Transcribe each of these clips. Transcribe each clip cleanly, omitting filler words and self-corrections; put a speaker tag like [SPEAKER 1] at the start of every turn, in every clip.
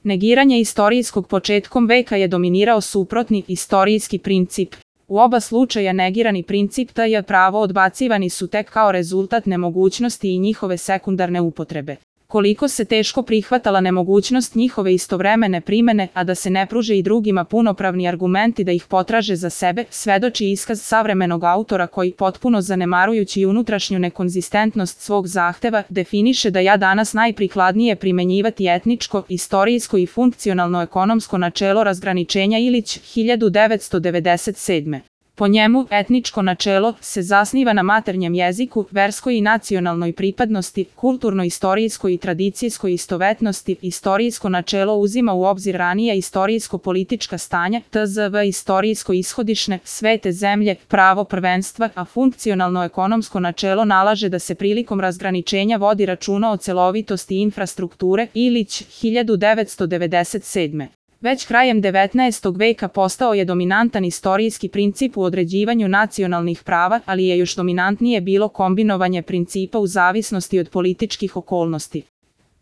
[SPEAKER 1] Negiranje istorijskog početkom veka je dominirao suprotni istorijski princip. U oba slučaja negirani princip je pravo odbacivani su tek kao rezultat nemogućnosti i njihove sekundarne upotrebe. Koliko se teško prihvatala nemogućnost njihove istovremene primene, a da se ne pruže i drugima punopravni argumenti da ih potraže za sebe, svedoči iskaz savremenog autora koji, potpuno zanemarujući unutrašnju nekonzistentnost svog zahteva, definiše da je danas najprikladnije primenjivati etničko, istorijsko i funkcionalno ekonomsko načelo razgraničenja Ilić 1997. Po njemu, etničko načelo se zasniva na maternjem jeziku, verskoj i nacionalnoj pripadnosti, kulturno-istorijskoj i tradicijskoj istovetnosti. Istorijsko načelo uzima u obzir ranija istorijsko-politička stanja, tzv. Istorijsko-ishodišne, svete zemlje, pravo prvenstva, a funkcionalno-ekonomsko načelo nalaže da se prilikom razgraničenja vodi računa o celovitosti infrastrukture. Ilić 1997. Već krajem 19. veka postao je dominantan istorijski princip u određivanju nacionalnih prava, ali je još dominantnije bilo kombinovanje principa u zavisnosti od političkih okolnosti.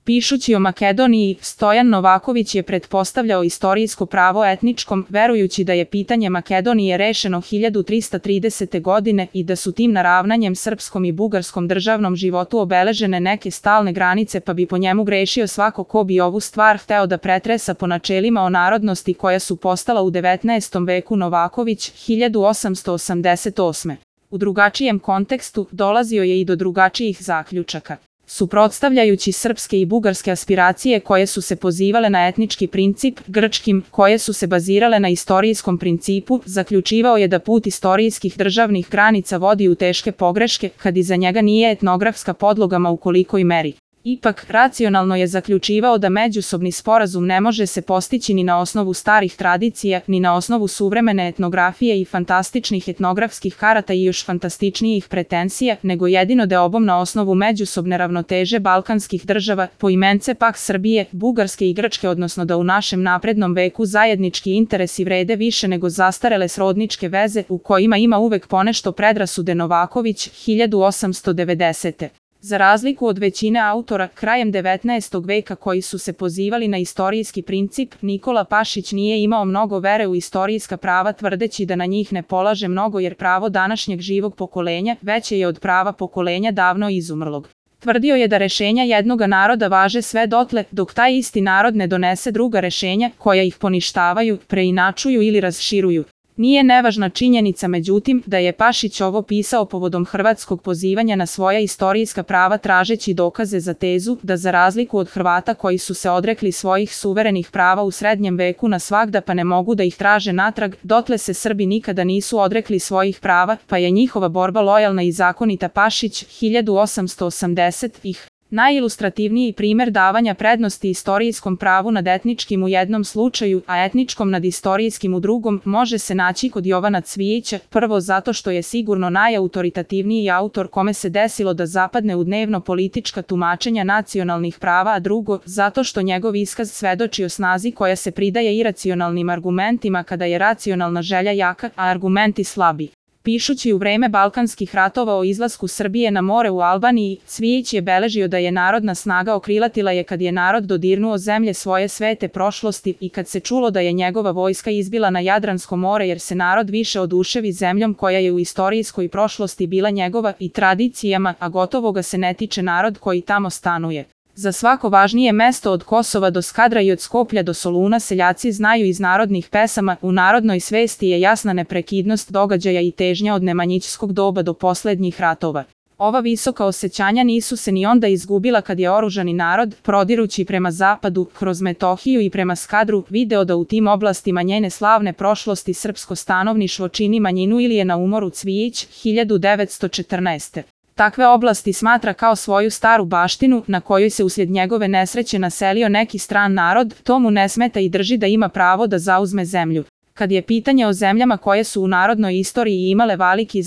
[SPEAKER 1] Pišući o Makedoniji, Stojan Novaković je pretpostavljao istorijsko pravo etničkom, verujući da je pitanje Makedonije rešeno 1330. godine i da su tim naravnanjem srpskom i bugarskom državnom životu obeležene neke stalne granice, pa bi po njemu grešio svako ko bi ovu stvar hteo da pretresa po načelima o narodnosti koja su postala u 19. veku. Novaković 1888. U drugačijem kontekstu dolazio je i do drugačijih zaključaka. Suprotstavljajući srpske i bugarske aspiracije koje su se pozivale na etnički princip, grčkim, koje su se bazirale na istorijskom principu, zaključivao je da put istorijskih državnih granica vodi u teške pogreške, kad iza njega nije etnografska podloga ma u kolikoj meri. Ipak, racionalno je zaključivao da međusobni sporazum ne može se postići ni na osnovu starih tradicija, ni na osnovu suvremene etnografije i fantastičnih etnografskih karata i još fantastičnijih pretenzija, nego jedino deobom na osnovu međusobne ravnoteže balkanskih država, poimence pak Srbije, Bugarske i Grčke, odnosno da u našem naprednom veku zajednički interesi vrede više nego zastarele srodničke veze u kojima ima uvek ponešto predrasude. Novaković 1890. Za razliku od većine autora krajem 19. veka koji su se pozivali na istorijski princip, Nikola Pašić nije imao mnogo vere u istorijska prava, tvrdeći da na njih ne polaže mnogo jer pravo današnjeg živog pokolenja veće je od prava pokolenja davno izumrlog. Tvrdio je da rešenja jednoga naroda važe sve dotle dok taj isti narod ne donese druga rešenja koja ih poništavaju, preinačuju ili raširuju. Nije nevažna činjenica međutim da je Pašić ovo pisao povodom hrvatskog pozivanja na svoja istorijska prava tražeći dokaze za tezu da za razliku od Hrvata koji su se odrekli svojih suverenih prava u srednjem veku na svagda pa ne mogu da ih traže natrag, dotle se Srbi nikada nisu odrekli svojih prava pa je njihova borba lojalna i zakonita. Pašić 1880. Najilustrativniji primer davanja prednosti istorijskom pravu nad etničkim u jednom slučaju, a etničkom nad istorijskim u drugom, može se naći kod Jovana Cvijića, prvo zato što je sigurno najautoritativniji autor kome se desilo da zapadne u dnevno politička tumačenja nacionalnih prava, a drugo, zato što njegov iskaz svedoči o snazi koja se pridaje iracionalnim argumentima kada je racionalna želja jaka, a argumenti slabi. Pišući u vreme Balkanskih ratova o izlasku Srbije na more u Albaniji, Cvijić je beležio da je narodna snaga okrilatila je kad je narod dodirnuo zemlje svoje svete prošlosti i kad se čulo da je njegova vojska izbila na Jadransko more jer se narod više oduševi zemljom koja je u istorijskoj prošlosti bila njegova i tradicijama, a gotovo ga se ne tiče narod koji tamo stanuje. Za svako važnije mesto od Kosova do Skadra i od Skoplja do Soluna seljaci znaju iz narodnih pesama, u narodnoj svesti je jasna neprekidnost događaja i težnja od nemanjićskog doba do poslednjih ratova. Ova visoka osjećanja nisu se ni onda izgubila kad je oružani narod, prodirući prema zapadu, kroz Metohiju i prema Skadru, video da u tim oblastima njene slavne prošlosti srpsko stanovništvo čini manjinu ili je na umoru. Cvijić 1914. Takve oblasti smatra kao svoju staru baštinu na kojoj se uslijed njegove nesreće naselio neki stran narod, to mu ne smeta i drži da ima pravo da zauzme zemlju. Kad je pitanje o zemljama koje su u narodnoj istoriji imale veliki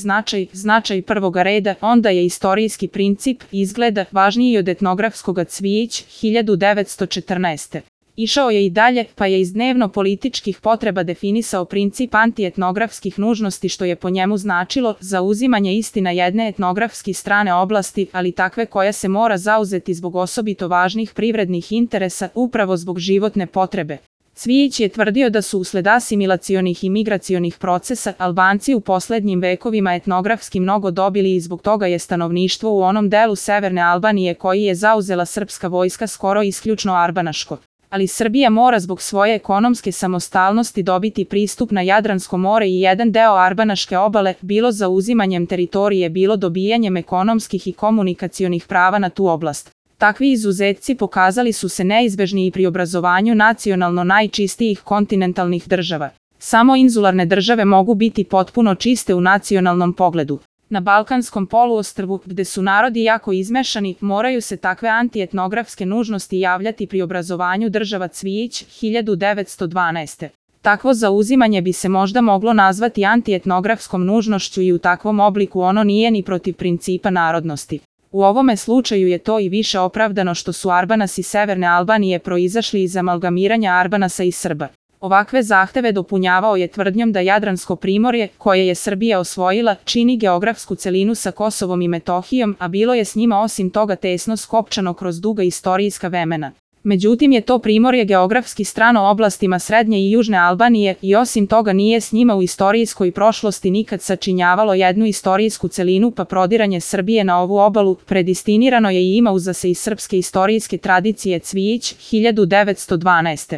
[SPEAKER 1] značaj prvoga reda, onda je istorijski princip, izgleda, važniji od etnografskoga. Cvijić 1914. Išao je i dalje, pa je iz dnevno-političkih potreba definisao princip antietnografskih nužnosti, što je po njemu značilo zauzimanje istina jedne etnografski strane oblasti, ali takve koja se mora zauzeti zbog osobito važnih privrednih interesa, upravo zbog životne potrebe. Cvijić je tvrdio da su usled asimilacionih i migracionih procesa Albanci u poslednjim vekovima etnografski mnogo dobili i zbog toga je stanovništvo u onom delu severne Albanije koji je zauzela srpska vojska skoro isključno arbanaško. Ali Srbija mora zbog svoje ekonomske samostalnosti dobiti pristup na Jadransko more i jedan deo arbanaške obale, bilo zauzimanjem teritorije, bilo dobijanjem ekonomskih i komunikacionih prava na tu oblast. Takvi izuzetci pokazali su se neizbežni i pri obrazovanju nacionalno najčistijih kontinentalnih država. Samo inzularne države mogu biti potpuno čiste u nacionalnom pogledu. Na Balkanskom poluostrvu, gde su narodi jako izmešani, moraju se takve antietnografske nužnosti javljati pri obrazovanju država. Cvijić, 1912. Takvo zauzimanje bi se možda moglo nazvati antietnografskom nužnošću i u takvom obliku ono nije ni protiv principa narodnosti. U ovome slučaju je to i više opravdano što su Arbanasi severne Albanije proizašli iz amalgamiranja Arbanasa i Srba. Ovakve zahteve dopunjavao je tvrdnjom da Jadransko primorje, koje je Srbija osvojila, čini geografsku celinu sa Kosovom i Metohijom, a bilo je s njima osim toga tesno skopčano kroz duga istorijska vremena. Međutim je to primorje geografski strano oblastima srednje i južne Albanije i osim toga nije s njima u istorijskoj prošlosti nikad sačinjavalo jednu istorijsku celinu, pa prodiranje Srbije na ovu obalu predistinirano je i ima uza se iz srpske istorijske tradicije. Cvijić, 1912.